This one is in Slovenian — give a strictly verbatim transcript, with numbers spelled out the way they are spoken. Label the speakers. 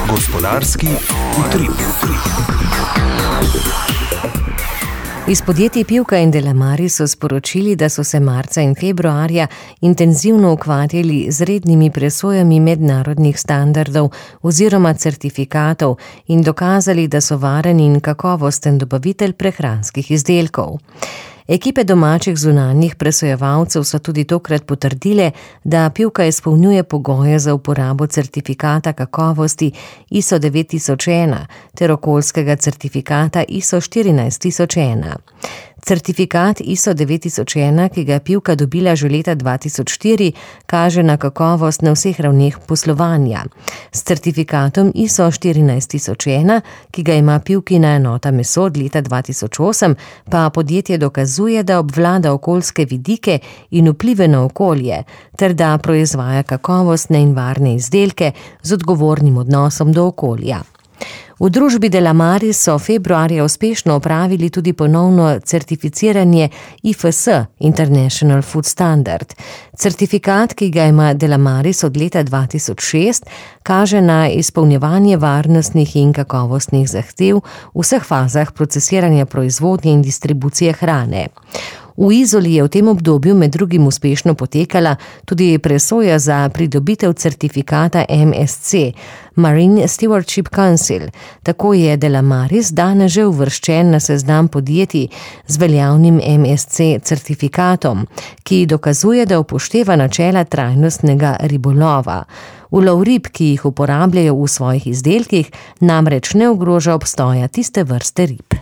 Speaker 1: Gospodarski utrip.
Speaker 2: Iz podjetij Pivka in Delamare so sporočili, da so se marca in februarja intenzivno ukvarjali z rednimi presojami mednarodnih standardov oziroma certifikatov in dokazali, da so varen in kakovosten dobavitelj prehranskih izdelkov. Ekipe domačih zunanjih presojevalcev so tudi tokrat potrdile, da Pivka izpolnjuje pogoje za uporabo certifikata kakovosti I S O devet tisoč ena ter okoljskega certifikata I S O štirinajst tisoč ena. Certifikat I S O devet tisoč ena, ki ga je Pivka dobila že leta dva tisoč štiri, kaže na kakovost na vseh ravneh poslovanja. S certifikatom I S O štirinajst tisoč ena, ki ga ima Pivkina enota meso od leta dva tisoč osem, pa podjetje dokazuje, da obvlada okoljske vidike in vplive na okolje, ter da proizvaja kakovostne in varne izdelke z odgovornim odnosom do okolja. V družbi Delamare so februarja uspešno opravili tudi ponovno certificiranje I F S, International Food Standard. Certifikat, ki ga ima Delamare od leta dva tisoč šest, kaže na izpolnjevanje varnostnih in kakovostnih zahtev v vseh fazah procesiranja proizvodnje in distribucije hrane. V Izoli je v tem obdobju med drugim uspešno potekala tudi presoja za pridobitev certifikata M S C, Marine Stewardship Council. Tako je Delamare danes že uvrščen na seznam podjetij z veljavnim M S C certifikatom, ki dokazuje, da upošteva načela trajnostnega ribolova. Ulov rib, ki jih uporabljajo v svojih izdelkih, namreč ne ogroža obstoja tiste vrste rib.